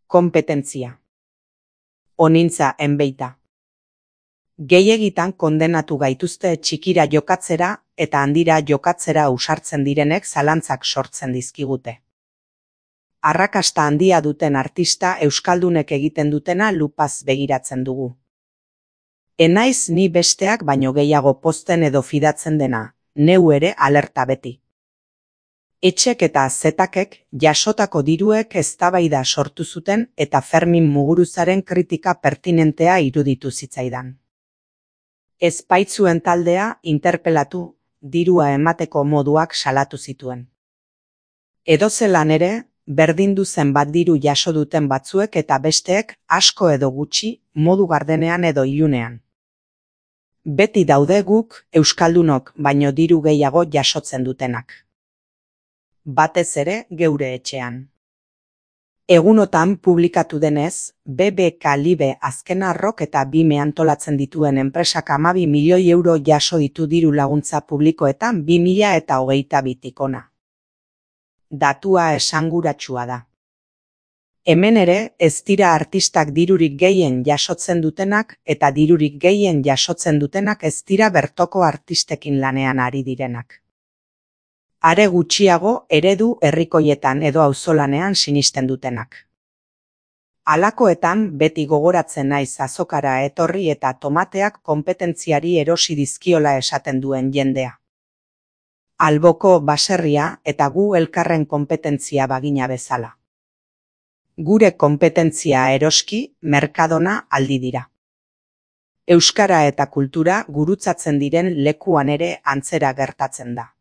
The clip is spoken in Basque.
Kompetentzia. Onintza enbeita. Gehiegitan kondenatu gaituzte txikira jokatzera eta handira jokatzera ausartzen direnek zalantzak sortzen dizkigute. Arrakasta handia duten artista euskaldunek egiten dutena lupaz begiratzen dugu. Enaiz ni besteak baino gehiago pozten edo fidatzen dena, neu ere alerta beti. Etxek eta zetakek jasotako diruek eztabaida sortu zuten eta Fermin Muguruzaren kritika pertinentea iruditu zitzaidan. Ez baitzuen taldea interpelatu, dirua emateko moduak salatu zituen. Edozelan ere, berdindu zenbat diru jaso duten batzuek eta besteek asko edo gutxi, modu gardenean edo ilunean. Beti daude guk, euskaldunok, baino diru gehiago jasotzen dutenak. Batez ere geure etxean. Egunotan publikatu denez, BBK Libe azken arrok eta bime antolatzen dituen enpresak 12 milioi euro jaso ditu diru laguntza publikoetan 2022tik hona. Datua esanguratsua da. Hemen ere ez dira artistak dirurik gehien jasotzen dutenak eta dirurik gehien jasotzen dutenak ez dira bertoko artistekin lanean ari direnak. Are gutxiago eredu herrikoietan edo auzolanean sinisten dutenak. Halakoetan beti gogoratzen naiz azokara etorri eta tomateak konpetentziari erosi dizkiola esaten duen jendea. Alboko baserria eta gu elkarren konpetentzia bagina bezala. Gure konpetentzia eroski, merkadona aldi dira. Euskara eta kultura gurutzatzen diren lekuan ere antzera gertatzen da.